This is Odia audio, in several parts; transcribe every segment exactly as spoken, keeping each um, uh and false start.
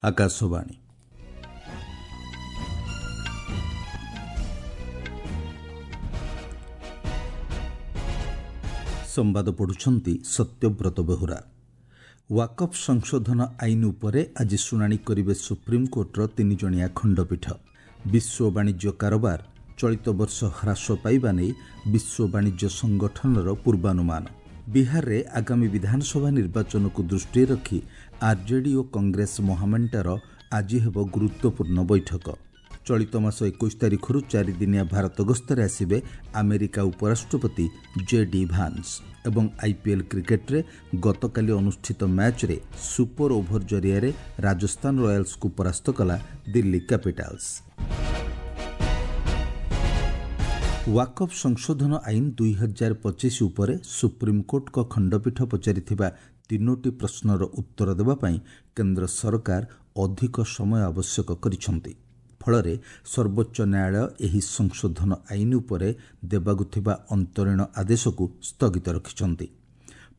ଆକାଶବାଣୀ। ସମ୍ବାଦ ପଢ଼ୁଛନ୍ତି ସତ୍ୟବ୍ରତ ବେହୁରା। ୱାକଫ୍ ସଂଶୋଧନ ଆଇନ ଉପରେ ଆଜି ଶୁଣାଣି କରିବେ ସୁପ୍ରିମକୋର୍ଟର ତିନିଜଣିଆ ଖଣ୍ଡପୀଠ। ବିଶ୍ୱ ବାଣିଜ୍ୟ କାରବାର ଚଳିତ ବର୍ଷ ହ୍ରାସ ପାଇବା ନେଇ ବିଶ୍ୱ ବାଣିଜ୍ୟ ସଂଗଠନର ପୂର୍ବାନୁମାନ। ବିହାରରେ ଆଗାମୀ ବିଧାନସଭା ନିର୍ବାଚନକୁ ଦୃଷ୍ଟିରେ ରଖି ଆର୍ଜେଡି ଓ କଂଗ୍ରେସ ମହାମେଣ୍ଟର ଆଜି ହେବ ଗୁରୁତ୍ୱପୂର୍ଣ୍ଣ ବୈଠକ। ଚଳିତ ମାସ ଏକୋଇଶ ତାରିଖରୁ ଚାରିଦିନିଆ ଭାରତ ଗସ୍ତରେ ଆସିବେ ଆମେରିକା ଉପରାଷ୍ଟ୍ରପତି ଜେ ଡି ଭାନ୍ସ। ଏବଂ ଆଇପିଏଲ୍ କ୍ରିକେଟରେ ଗତକାଲି ଅନୁଷ୍ଠିତ ମ୍ୟାଚ୍ରେ ସୁପର ଓଭର ଜରିଆରେ ରାଜସ୍ଥାନ ରୟାଲ୍ସକୁ ପରାସ୍ତ କଲା ଦିଲ୍ଲୀ କ୍ୟାପିଟାଲ୍ସ। ୱାକଫ୍ ସଂଶୋଧନ ଆଇନ ଦୁଇ ହଜାର ପଚିଶ ଉପରେ ସୁପ୍ରିମକୋର୍ଟଙ୍କ ଖଣ୍ଡପୀଠ ପଚାରିଥିବା ତିନୋଟି ପ୍ରଶ୍ନର ଉତ୍ତର ଦେବା ପାଇଁ କେନ୍ଦ୍ର ସରକାର ଅଧିକ ସମୟ ଆବଶ୍ୟକ କରିଛନ୍ତି। ଫଳରେ ସର୍ବୋଚ୍ଚ ନ୍ୟାୟାଳୟ ଏହି ସଂଶୋଧନ ଆଇନ ଉପରେ ଦେବାକୁ ଥିବା ଅନ୍ତରୀଣ ଆଦେଶକୁ ସ୍ଥଗିତ ରଖିଛନ୍ତି।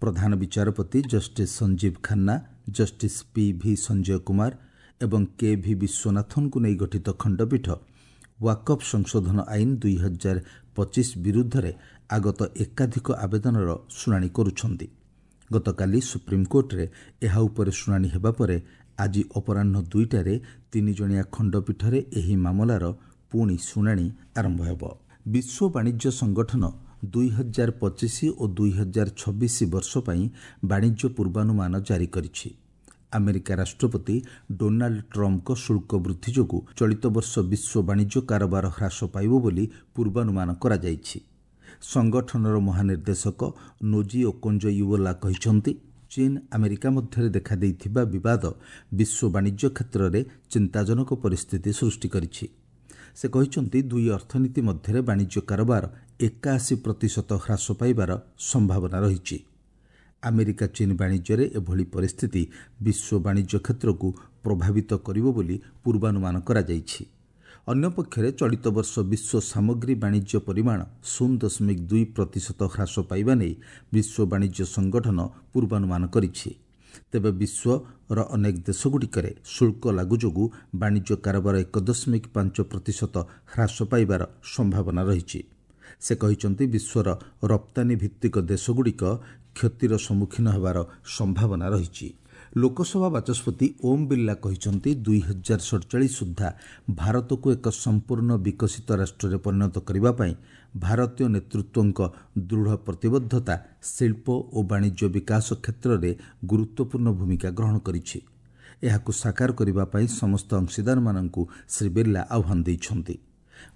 ପ୍ରଧାନ ବିଚାରପତି justice Sanjiv Khanna, justice P V Sanjay Kumar ଏବଂ କେ ଭି ବିଶ୍ୱନାଥନଙ୍କୁ ନେଇ ଗଠିତ ଖଣ୍ଡପୀଠ ୱାକଫ୍ ସଂଶୋଧନ ଆଇନ ଦୁଇ ହଜାର ପଚିଶ ବିରୁଦ୍ଧରେ ଆଗତ ଏକାଧିକ ଆବେଦନର ଶୁଣାଣି କରୁଛନ୍ତି। ଗତକାଲି ସୁପ୍ରିମକୋର୍ଟରେ ଏହା ଉପରେ ଶୁଣାଣି ହେବା ପରେ ଆଜି ଅପରାହ୍ନ ଦୁଇଟାରେ ତିନିଜଣିଆ ଖଣ୍ଡପୀଠରେ ଏହି ମାମଲାର ପୁଣି ଶୁଣାଣି ଆରମ୍ଭ ହେବ। ବିଶ୍ୱ ବାଣିଜ୍ୟ ସଂଗଠନ ଦୁଇ ହଜାର ପଚିଶ ଓ ଦୁଇ ହଜାର ଛବିଶ ବର୍ଷ ପାଇଁ ବାଣିଜ୍ୟ ପୂର୍ବାନୁମାନ ଜାରି କରିଛି। ଆମେରିକା ରାଷ୍ଟ୍ରପତି ଡୋନାଲ୍ଡ ଟ୍ରମ୍ପଙ୍କ ଶୁଳ୍କ ବୃଦ୍ଧି ଯୋଗୁଁ ଚଳିତ ବର୍ଷ ବିଶ୍ୱ ବାଣିଜ୍ୟ କାରବାର ହ୍ରାସ ପାଇବ ବୋଲି ପୂର୍ବାନୁମାନ କରାଯାଇଛି। ସଂଗଠନର ମହାନିର୍ଦ୍ଦେଶକ ନୋଜି ଓକୋଞ୍ଜୋ ଇୱୋଲା କହିଛନ୍ତି, ଚୀନ୍ ଆମେରିକା ମଧ୍ୟରେ ଦେଖାଦେଇଥିବା ବିବାଦ ବିଶ୍ୱ ବାଣିଜ୍ୟ କ୍ଷେତ୍ରରେ ଚିନ୍ତାଜନକ ପରିସ୍ଥିତି ସୃଷ୍ଟି କରିଛି। ସେ କହିଛନ୍ତି, ଦୁଇ ଅର୍ଥନୀତି ମଧ୍ୟରେ ବାଣିଜ୍ୟ କାରବାର ଏକାଅଶୀ ପ୍ରତିଶତ ହ୍ରାସ ପାଇବାର ସମ୍ଭାବନା ରହିଛି। ଆମେରିକା ଚୀନ୍ ବାଣିଜ୍ୟରେ ଏଭଳି ପରିସ୍ଥିତି ବିଶ୍ୱ ବାଣିଜ୍ୟ କ୍ଷେତ୍ରକୁ ପ୍ରଭାବିତ କରିବ ବୋଲି ପୂର୍ବାନୁମାନ କରାଯାଇଛି। ଅନ୍ୟପକ୍ଷରେ ଚଳିତ ବର୍ଷ ବିଶ୍ୱ ସାମଗ୍ରୀ ବାଣିଜ୍ୟ ପରିମାଣ ଶୂନ ଦଶମିକ ଦୁଇ ପ୍ରତିଶତ ହ୍ରାସ ପାଇବା ନେଇ ବିଶ୍ୱ ବାଣିଜ୍ୟ ସଂଗଠନ ପୂର୍ବାନୁମାନ କରିଛି। ତେବେ ବିଶ୍ୱର ଅନେକ ଦେଶଗୁଡ଼ିକରେ ଶୁଳ୍କ ଲାଗୁ ଯୋଗୁଁ ବାଣିଜ୍ୟ କାରବାର ଏକ ଦଶମିକ ପାଞ୍ଚ ପ୍ରତିଶତ ହ୍ରାସ ପାଇବାର ସମ୍ଭାବନା ରହିଛି। ସେ କହିଛନ୍ତି, ବିଶ୍ୱର ରପ୍ତାନୀ ଭିତ୍ତିକ ଦେଶଗୁଡ଼ିକ କ୍ଷତିର ସମ୍ମୁଖୀନ ହେବାର ସମ୍ଭାବନା ରହିଛି। ଲୋକସଭା ବାଚସ୍ପତି ଓମ୍ ବିର୍ଲା କହିଛନ୍ତି, ଦୁଇ ହଜାର ସଡ଼ଚାଳିଶ ସୁଦ୍ଧା ଭାରତକୁ ଏକ ସମ୍ପୂର୍ଣ୍ଣ ବିକଶିତ ରାଷ୍ଟ୍ରରେ ପରିଣତ କରିବା ପାଇଁ ଭାରତୀୟ ନେତୃତ୍ୱଙ୍କ ଦୃଢ଼ ପ୍ରତିବଦ୍ଧତା ଶିଳ୍ପ ଓ ବାଣିଜ୍ୟ ବିକାଶ କ୍ଷେତ୍ରରେ ଗୁରୁତ୍ୱପୂର୍ଣ୍ଣ ଭୂମିକା ଗ୍ରହଣ କରିଛି। ଏହାକୁ ସାକାର କରିବା ପାଇଁ ସମସ୍ତ ଅଂଶୀଦାରମାନଙ୍କୁ ଶ୍ରୀ ବିର୍ଲା ଆହ୍ୱାନ ଦେଇଛନ୍ତି।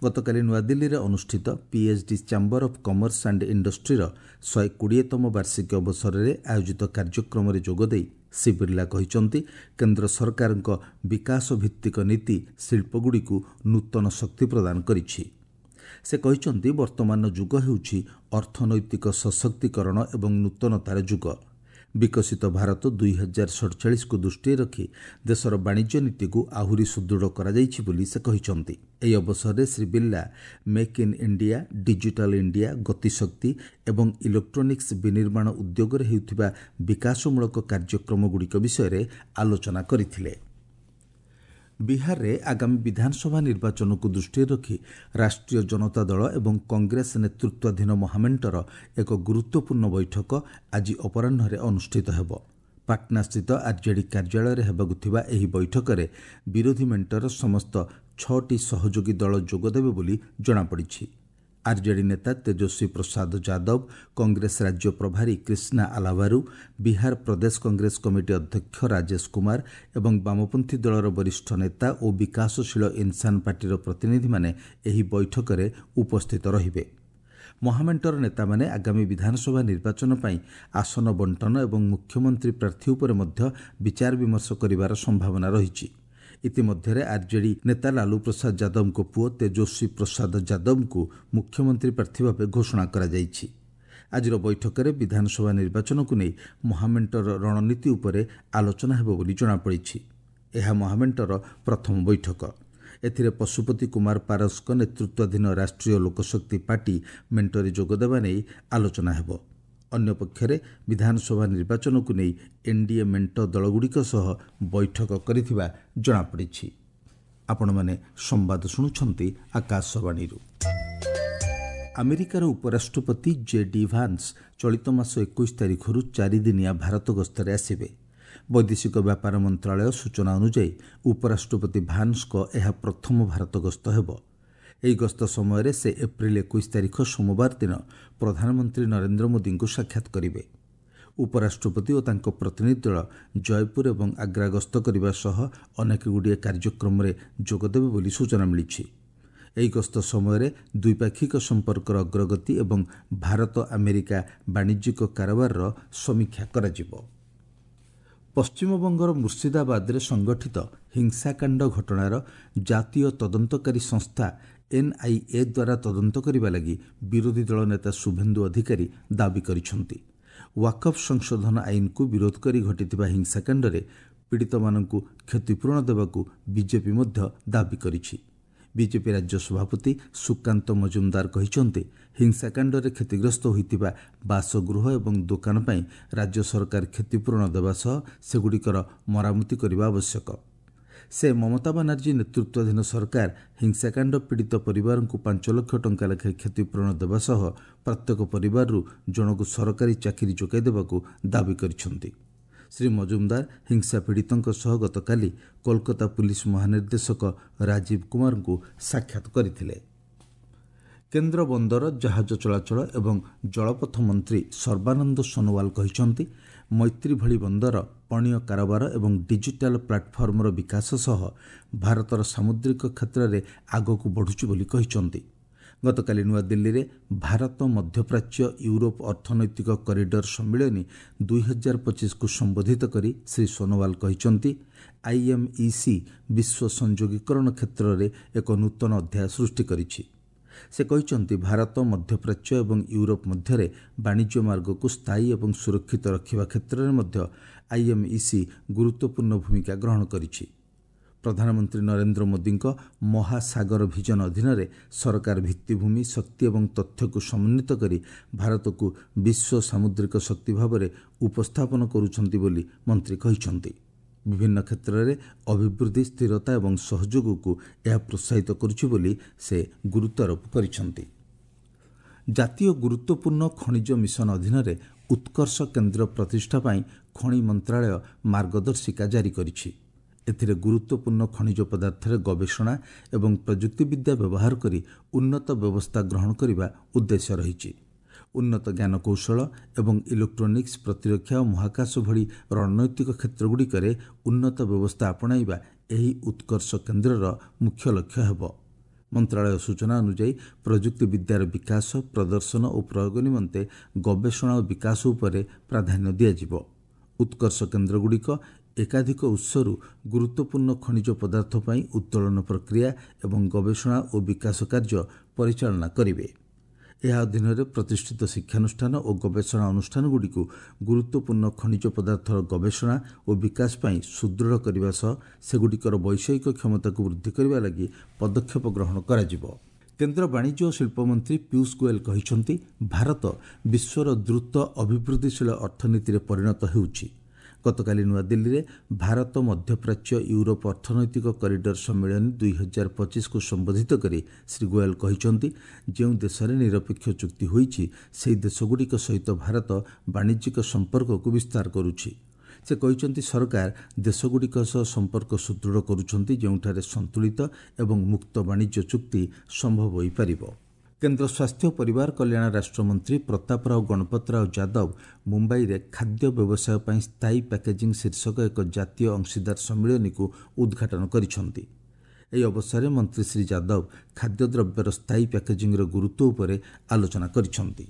ଗତକାଲି ନୂଆଦିଲ୍ଲୀରେ ଅନୁଷ୍ଠିତ PhD chamber of commerce and ଇଣ୍ଡଷ୍ଟ୍ରିର ଶହେ କୋଡ଼ିଏତମ ବାର୍ଷିକୀ ଅବସରରେ ଆୟୋଜିତ କାର୍ଯ୍ୟକ୍ରମରେ ଯୋଗଦେଇ ଶ୍ରୀ ବିର୍ଲା କହିଛନ୍ତି, କେନ୍ଦ୍ର ସରକାରଙ୍କ ବିକାଶ ଭିତ୍ତିକ ନୀତି ଶିଳ୍ପଗୁଡ଼ିକୁ ନୂତନ ଶକ୍ତି ପ୍ରଦାନ କରିଛି। ସେ କହିଛନ୍ତି, ବର୍ତ୍ତମାନର ଯୁଗ ହେଉଛି ଅର୍ଥନୈତିକ ସଶକ୍ତିକରଣ ଏବଂ ନୂତନତାର ଯୁଗ। ବିକଶିତ ଭାରତ ଦୁଇ ହଜାର ସଡ଼ଚାଳିଶକୁ ଦୃଷ୍ଟିରେ ରଖି ଦେଶର ବାଣିଜ୍ୟ ନୀତିକୁ ଆହୁରି ସୁଦୃଢ଼ କରାଯାଇଛି ବୋଲି ସେ କହିଛନ୍ତି। ଏହି ଅବସରରେ Shri Birla make in India, digital India, Gatishakti ଏବଂ ଇଲେକ୍ଟ୍ରୋନିକ୍ସ ବିନିର୍ମାଣ ଉଦ୍ୟୋଗରେ ହେଉଥିବା ବିକାଶମୂଳକ କାର୍ଯ୍ୟକ୍ରମଗୁଡ଼ିକ ବିଷୟରେ ଆଲୋଚନା କରିଥିଲେ। ବିହାରରେ ଆଗାମୀ ବିଧାନସଭା ନିର୍ବାଚନକୁ ଦୃଷ୍ଟିରେ ରଖି ରାଷ୍ଟ୍ରୀୟ ଜନତା ଦଳ ଏବଂ କଂଗ୍ରେସ ନେତୃତ୍ୱାଧୀନ ମହାମେଣ୍ଟର ଏକ ଗୁରୁତ୍ୱପୂର୍ଣ୍ଣ ବୈଠକ ଆଜି ଅପରାହ୍ନରେ ଅନୁଷ୍ଠିତ ହେବ। ପାଟନାସ୍ଥିତ ଆର୍ଜେଡି କାର୍ଯ୍ୟାଳୟରେ ହେବାକୁ ଥିବା ଏହି ବୈଠକରେ ବିରୋଧୀ ମେଣ୍ଟର ସମସ୍ତ ଛଅଟି ସହଯୋଗୀ ଦଳ ଯୋଗଦେବେ ବୋଲି ଜଣାପଡ଼ିଛି। ଆର୍ଜେଡି ନେତା ତେଜସ୍ୱୀ ପ୍ରସାଦ ଯାଦବ, କଂଗ୍ରେସ ରାଜ୍ୟ ପ୍ରଭାରୀ କ୍ରିଷ୍ଣା ଆଲାଭାରୁ, ବିହାର ପ୍ରଦେଶ କଂଗ୍ରେସ କମିଟି ଅଧ୍ୟକ୍ଷ ରାଜେଶ କୁମାର ଏବଂ ବାମପନ୍ଥୀ ଦଳର ବରିଷ୍ଠ ନେତା ଓ ବିକାଶଶୀଳ ଇନ୍ସାନ ପାର୍ଟିର ପ୍ରତିନିଧିମାନେ ଏହି ବୈଠକରେ ଉପସ୍ଥିତ ରହିବେ। ମହାମେଣ୍ଟର ନେତାମାନେ ଆଗାମୀ ବିଧାନସଭା ନିର୍ବାଚନ ପାଇଁ ଆସନ ବଣ୍ଟନ ଏବଂ ମୁଖ୍ୟମନ୍ତ୍ରୀ ପ୍ରାର୍ଥୀ ଉପରେ ମଧ୍ୟ ବିଚାର ବିମର୍ଶ କରିବାର ସମ୍ଭାବନା ରହିଛି। ଇତିମଧ୍ୟରେ ଆର୍ଜେଡି ନେତା ଲାଲୁ ପ୍ରସାଦ ଯାଦବଙ୍କ ପୁଅ ତେଜସ୍ୱୀ ପ୍ରସାଦ ଯାଦବଙ୍କୁ ମୁଖ୍ୟମନ୍ତ୍ରୀ ପ୍ରାର୍ଥୀ ଭାବେ ଘୋଷଣା କରାଯାଇଛି। ଆଜିର ବୈଠକରେ ବିଧାନସଭା ନିର୍ବାଚନକୁ ନେଇ ମହାମେଣ୍ଟର ରଣନୀତି ଉପରେ ଆଲୋଚନା ହେବ ବୋଲି ଜଣାପଡ଼ିଛି। ଏହା ମହାମେଣ୍ଟର ପ୍ରଥମ ବୈଠକ। ଏଥିରେ ପଶୁପତି କୁମାର ପାରସଙ୍କ ନେତୃତ୍ୱାଧୀନ ରାଷ୍ଟ୍ରୀୟ ଲୋକଶକ୍ତି ପାର୍ଟି ମେଣ୍ଟରେ ଯୋଗଦେବା ନେଇ ଆଲୋଚନା ହେବ। ଅନ୍ୟପକ୍ଷରେ ବିଧାନସଭା ନିର୍ବାଚନକୁ ନେଇ ଏନ୍ଡିଏ ମେଣ୍ଟ ଦଳଗୁଡ଼ିକ ସହ ବୈଠକ କରିଥିବା ଜଣାପଡ଼ିଛି। ଆପଣମାନେ ସମ୍ବାଦ ଶୁଣୁଛନ୍ତି ଆକାଶବାଣୀରୁ। ଆମେରିକାର ଉପରାଷ୍ଟ୍ରପତି ଜେ ଡି ଭାନ୍ସ ଚଳିତ ମାସ ଏକୋଇଶ ତାରିଖରୁ ଚାରିଦିନିଆ ଭାରତ ଗସ୍ତରେ ଆସିବେ। ବୈଦେଶିକ ବ୍ୟାପାର ମନ୍ତ୍ରଣାଳୟ ସୂଚନା ଅନୁଯାୟୀ ଉପରାଷ୍ଟ୍ରପତି ଭାନ୍ସଙ୍କ ଏହା ପ୍ରଥମ ଭାରତ ଗସ୍ତ ହେବ। ଏହି ଗସ୍ତ ସମୟରେ ସେ ଏପ୍ରିଲ ଏକୋଇଶ ତାରିଖ ସୋମବାର ଦିନ ପ୍ରଧାନମନ୍ତ୍ରୀ ନରେନ୍ଦ୍ର ମୋଦିଙ୍କୁ ସାକ୍ଷାତ କରିବେ। ଉପରାଷ୍ଟ୍ରପତି ଓ ତାଙ୍କ ପ୍ରତିନିଧି ଦଳ ଜୟପୁର ଏବଂ ଆଗ୍ରା ଗସ୍ତ କରିବା ସହ ଅନେକଗୁଡ଼ିଏ କାର୍ଯ୍ୟକ୍ରମରେ ଯୋଗଦେବେ ବୋଲି ସୂଚନା ମିଳିଛି। ଏହି ଗସ୍ତ ସମୟରେ ଦ୍ୱିପାକ୍ଷିକ ସମ୍ପର୍କର ଅଗ୍ରଗତି ଏବଂ ଭାରତ ଆମେରିକା ବାଣିଜ୍ୟିକ କାରବାରର ସମୀକ୍ଷା କରାଯିବ। ପଶ୍ଚିମବଙ୍ଗର ମୁର୍ଶିଦାବାଦରେ ସଂଗଠିତ ହିଂସାକାଣ୍ଡ ଘଟଣାର ଜାତୀୟ ତଦନ୍ତକାରୀ ସଂସ୍ଥା ଏନ୍ଆଇଏ ଦ୍ୱାରା ତଦନ୍ତ କରିବା ଲାଗି ବିରୋଧୀ ଦଳ ନେତା ଶୁଭେନ୍ଦୁ ଅଧିକାରୀ ଦାବି କରିଛନ୍ତି। ୱାକଫ୍ ସଂଶୋଧନ ଆଇନକୁ ବିରୋଧ କରି ଘଟିଥିବା ହିଂସାକାଣ୍ଡରେ ପୀଡ଼ିତମାନଙ୍କୁ କ୍ଷତିପୂରଣ ଦେବାକୁ ବିଜେପି ମଧ୍ୟ ଦାବି କରିଛି। ବିଜେପି ରାଜ୍ୟ ସଭାପତି ସୁକାନ୍ତ ମଜୁମଦାର କହିଛନ୍ତି, ହିଂସାକାଣ୍ଡରେ କ୍ଷତିଗ୍ରସ୍ତ ହୋଇଥିବା ବାସଗୃହ ଏବଂ ଦୋକାନ ପାଇଁ ରାଜ୍ୟ ସରକାର କ୍ଷତିପୂରଣ ଦେବା ସହ ସେଗୁଡ଼ିକର ମରାମତି କରିବା ଆବଶ୍ୟକ। ସେ ମମତା ବାନାର୍ଜୀ ନେତୃତ୍ୱାଧୀନ ସରକାର ହିଂସାକାଣ୍ଡ ପୀଡ଼ିତ ପରିବାରଙ୍କୁ ପାଞ୍ଚ ଲକ୍ଷ ଟଙ୍କା ଲେଖାଏଁ କ୍ଷତିପୂରଣ ଦେବା ସହ ପ୍ରତ୍ୟେକ ପରିବାରରୁ ଜଣକୁ ସରକାରୀ ଚାକିରି ଯୋଗାଇ ଦେବାକୁ ଦାବି କରିଛନ୍ତି। ଶ୍ରୀ ମଜୁମଦାର ହିଂସା ପୀଡ଼ିତଙ୍କ ସହ ଗତକାଲି କୋଲକାତା ପୁଲିସ ମହାନିର୍ଦ୍ଦେଶକ ରାଜୀବ କୁମାରଙ୍କୁ ସାକ୍ଷାତ କରିଥିଲେ। କେନ୍ଦ୍ର ବନ୍ଦର, ଜାହାଜ ଚଳାଚଳ ଏବଂ ଜଳପଥ ମନ୍ତ୍ରୀ ସର୍ବାନନ୍ଦ ସୋନୋୱାଲ କହିଛନ୍ତି, ମୈତ୍ରୀ ଭଳି ବନ୍ଦର ପଣ୍ୟ କାରବାର ଏବଂ ଡିଜିଟାଲ ପ୍ଲାଟଫର୍ମର ବିକାଶ ସହ ଭାରତର ସାମୁଦ୍ରିକ କ୍ଷେତ୍ରରେ ଆଗକୁ ବଢ଼ୁଛି ବୋଲି କହିଛନ୍ତି। ଗତକାଲି ନୂଆଦିଲ୍ଲୀରେ ଭାରତ ମଧ୍ୟପ୍ରାଚ୍ୟ ୟୁରୋପ ଅର୍ଥନୈତିକ କରିଡର ସମ୍ମିଳନୀ ଦୁଇହଜାର ପଚିଶକୁ ସମ୍ବୋଧିତ କରି ଶ୍ରୀ ସୋନୋୱାଲ କହିଛନ୍ତି, ଆଇଏମ୍ଇସି ବିଶ୍ୱ ସଂଯୋଗୀକରଣ କ୍ଷେତ୍ରରେ ଏକ ନୂତନ ଅଧ୍ୟାୟ ସୃଷ୍ଟି କରିଛି। ସେ କହିଛନ୍ତି, ଭାରତ ମଧ୍ୟପ୍ରାଚ୍ୟ ଏବଂ ୟୁରୋପ ମଧ୍ୟରେ ବାଣିଜ୍ୟ ମାର୍ଗକୁ ସ୍ଥାୟୀ ଏବଂ ସୁରକ୍ଷିତ ରଖିବା କ୍ଷେତ୍ରରେ ମଧ୍ୟ ଆଇଏମ୍ଇସି ଗୁରୁତ୍ୱପୂର୍ଣ୍ଣ ଭୂମିକା ଗ୍ରହଣ କରିଛି। ପ୍ରଧାନମନ୍ତ୍ରୀ ନରେନ୍ଦ୍ର ମୋଦିଙ୍କ ମହାସାଗର ଭିଜନ ଅଧୀନରେ ସରକାର ଭିତ୍ତିଭୂମି, ଶକ୍ତି ଏବଂ ତଥ୍ୟକୁ ସମନ୍ୱିତ କରି ଭାରତକୁ ବିଶ୍ୱ ସାମୁଦ୍ରିକ ଶକ୍ତି ଭାବରେ ଉପସ୍ଥାପନ କରୁଛନ୍ତି ବୋଲି ମନ୍ତ୍ରୀ କହିଛନ୍ତି। ବିଭିନ୍ନ କ୍ଷେତ୍ରରେ ଅଭିବୃଦ୍ଧି, ସ୍ଥିରତା ଏବଂ ସହଯୋଗକୁ ଏହା ପ୍ରୋତ୍ସାହିତ କରୁଛି ବୋଲି ସେ ଗୁରୁତ୍ୱାରୋପ କରିଛନ୍ତି। ଜାତୀୟ ଗୁରୁତ୍ୱପୂର୍ଣ୍ଣ ଖଣିଜ ମିଶନ ଅଧୀନରେ ଉତ୍କର୍ଷ କେନ୍ଦ୍ର ପ୍ରତିଷ୍ଠା ପାଇଁ ଖଣି ମନ୍ତ୍ରାଳୟ ମାର୍ଗଦର୍ଶିକା ଜାରି କରିଛି। ଏଥିରେ ଗୁରୁତ୍ୱପୂର୍ଣ୍ଣ ଖଣିଜ ପଦାର୍ଥରେ ଗବେଷଣା ଏବଂ ପ୍ରଯୁକ୍ତିବିଦ୍ୟା ବ୍ୟବହାର କରି ଉନ୍ନତ ବ୍ୟବସ୍ଥା ଗ୍ରହଣ କରିବା ଉଦ୍ଦେଶ୍ୟ ରହିଛି। ଉନ୍ନତ ଜ୍ଞାନକୌଶଳ ଏବଂ ଇଲେକ୍ଟ୍ରୋନିକ୍ସ, ପ୍ରତିରକ୍ଷା ଓ ମହାକାଶ ଭଳି ରଣନୈତିକ କ୍ଷେତ୍ରଗୁଡ଼ିକରେ ଉନ୍ନତ ବ୍ୟବସ୍ଥା ଆପଣାଇବା ଏହି ଉତ୍କର୍ଷ କେନ୍ଦ୍ରର ମୁଖ୍ୟ ଲକ୍ଷ୍ୟ ହେବ। ମନ୍ତ୍ରାଳୟ ସୂଚନା ଅନୁଯାୟୀ ପ୍ରଯୁକ୍ତିବିଦ୍ୟାର ବିକାଶ, ପ୍ରଦର୍ଶନ ଓ ପ୍ରୟୋଗ ନିମନ୍ତେ ଗବେଷଣା ଓ ବିକାଶ ଉପରେ ପ୍ରାଧାନ୍ୟ ଦିଆଯିବ। ଉତ୍କର୍ଷ କେନ୍ଦ୍ରଗୁଡ଼ିକ ଏକାଧିକ ଉତ୍ସରୁ ଗୁରୁତ୍ୱପୂର୍ଣ୍ଣ ଖଣିଜ ପଦାର୍ଥ ପାଇଁ ଉତ୍ତୋଳନ ପ୍ରକ୍ରିୟା ଏବଂ ଗବେଷଣା ଓ ବିକାଶ କାର୍ଯ୍ୟ ପରିଚାଳନା କରିବେ। ଏହା ଅଧୀନରେ ପ୍ରତିଷ୍ଠିତ ଶିକ୍ଷାନୁଷ୍ଠାନ ଓ ଗବେଷଣା ଅନୁଷ୍ଠାନଗୁଡ଼ିକୁ ଗୁରୁତ୍ୱପୂର୍ଣ୍ଣ ଖଣିଜ ପଦାର୍ଥର ଗବେଷଣା ଓ ବିକାଶ ପାଇଁ ସୁଦୃଢ଼ କରିବା ସହ ସେଗୁଡ଼ିକର ବୈଷୟିକ କ୍ଷମତାକୁ ବୃଦ୍ଧି କରିବା ଲାଗି ପଦକ୍ଷେପ ଗ୍ରହଣ କରାଯିବ। କେନ୍ଦ୍ର ବାଣିଜ୍ୟ ଓ ଶିଳ୍ପମନ୍ତ୍ରୀ ପୀୟୁଷ ଗୋଏଲ କହିଛନ୍ତି, ଭାରତ ବିଶ୍ୱର ଦ୍ରୁତ ଅଭିବୃଦ୍ଧିଶୀଳ ଅର୍ଥନୀତିରେ ପରିଣତ ହେଉଛି। ଗତକାଲି ନୂଆଦିଲ୍ଲୀରେ ଭାରତ ମଧ୍ୟପ୍ରାଚ୍ୟ ୟୁରୋପ ଅର୍ଥନୈତିକ କରିଡର ସମ୍ମିଳନୀ ଦୁଇହଜାର ପଚିଶକୁ ସମ୍ବୋଧିତ କରି ଶ୍ରୀ ଗୋଏଲ କହିଛନ୍ତି, ଯେଉଁ ଦେଶରେ ନିରପେକ୍ଷ ଚୁକ୍ତି ହୋଇଛି ସେହି ଦେଶଗୁଡ଼ିକ ସହିତ ଭାରତ ବାଣିଜ୍ୟିକ ସମ୍ପର୍କକୁ ବିସ୍ତାର କରୁଛି। ସେ କହିଛନ୍ତି, ସରକାର ଦେଶଗୁଡ଼ିକ ସହ ସମ୍ପର୍କ ସୁଦୃଢ଼ କରୁଛନ୍ତି ଯେଉଁଠାରେ ସନ୍ତୁଳିତ ଏବଂ ମୁକ୍ତ ବାଣିଜ୍ୟ ଚୁକ୍ତି ସମ୍ଭବ ହୋଇପାରିବ। କେନ୍ଦ୍ର ସ୍ୱାସ୍ଥ୍ୟ ପରିବାର କଲ୍ୟାଣ ରାଷ୍ଟ୍ରମନ୍ତ୍ରୀ ପ୍ରତାପରାଓ ଗଣପତରାଓ ଯାଦବ ମୁମ୍ବାଇରେ ଖାଦ୍ୟ ବ୍ୟବସାୟ ପାଇଁ ସ୍ଥାୟୀ ପ୍ୟାକେଜିଂ ଶୀର୍ଷକ ଏକ ଜାତୀୟ ଅଂଶୀଦାର ସମ୍ମିଳନୀକୁ ଉଦ୍ଘାଟନ କରିଛନ୍ତି। ଏହି ଅବସରରେ ମନ୍ତ୍ରୀ ଶ୍ରୀ ଯାଦବ ଖାଦ୍ୟଦ୍ରବ୍ୟର ସ୍ଥାୟୀ ପ୍ୟାକେଜିଂର ଗୁରୁତ୍ୱ ଉପରେ ଆଲୋଚନା କରିଛନ୍ତି।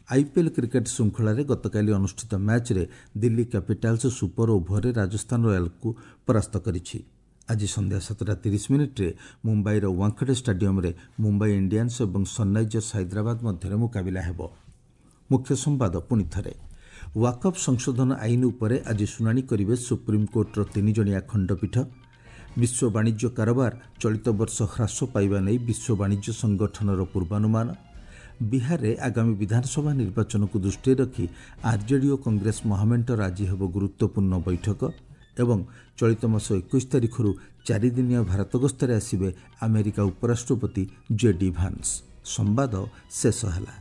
ଆଇପିଏଲ୍ କ୍ରିକେଟ୍ ଶୃଙ୍ଖଳାରେ ଗତକାଲି ଅନୁଷ୍ଠିତ ମ୍ୟାଚ୍ରେ ଦିଲ୍ଲୀ କ୍ୟାପିଟାଲ୍ସ ସୁପର ଓଭରରେ ରାଜସ୍ଥାନ ରୟାଲ୍ସକୁ ପରାସ୍ତ କରିଛି। ଆଜି ସନ୍ଧ୍ୟା ସାତଟା ତିରିଶ ମିନିଟ୍ରେ ମୁମ୍ବାଇର ୱାଙ୍ଖଡ଼େ ଷ୍ଟାଡିୟମ୍ରେ ମୁମ୍ବାଇ ଇଣ୍ଡିଆନ୍ସ ଏବଂ ସନ୍ରାଇଜର୍ସ ହାଇଦ୍ରାବାଦ ମଧ୍ୟରେ ମୁକାବିଲା ହେବ। ମୁଖ୍ୟ ସମ୍ବାଦ ପୁଣି ଥରେ, ୱାକଫ୍ ସଂଶୋଧନ ଆଇନ ଉପରେ ଆଜି ଶୁଣାଣି କରିବେ ସୁପ୍ରିମକୋର୍ଟର ତିନିଜଣିଆ ଖଣ୍ଡପୀଠ। ବିଶ୍ୱ ବାଣିଜ୍ୟ କାରବାର ଚଳିତ ବର୍ଷ ହ୍ରାସ ପାଇବା ନେଇ ବିଶ୍ୱ ବାଣିଜ୍ୟ ସଂଗଠନର ପୂର୍ବାନୁମାନ। ବିହାରରେ ଆଗାମୀ ବିଧାନସଭା ନିର୍ବାଚନକୁ ଦୃଷ୍ଟିରେ ରଖି ଆର୍ଜେଡି ଓ କଂଗ୍ରେସ ମହାମେଣ୍ଟର ଆଜି ହେବ ଗୁରୁତ୍ୱପୂର୍ଣ୍ଣ ବୈଠକ ଏବଂ ଚଳିତ ମାସ ଏକୋଇଶ ତାରିଖରୁ ଚାରିଦିନିଆ ଭାରତ ଗସ୍ତରେ ଆସିବେ ଆମେରିକା ଉପରାଷ୍ଟ୍ରପତି ଜେ ଡି ଭାନ୍ସ। ସମ୍ବାଦ ଶେଷ ହେଲା।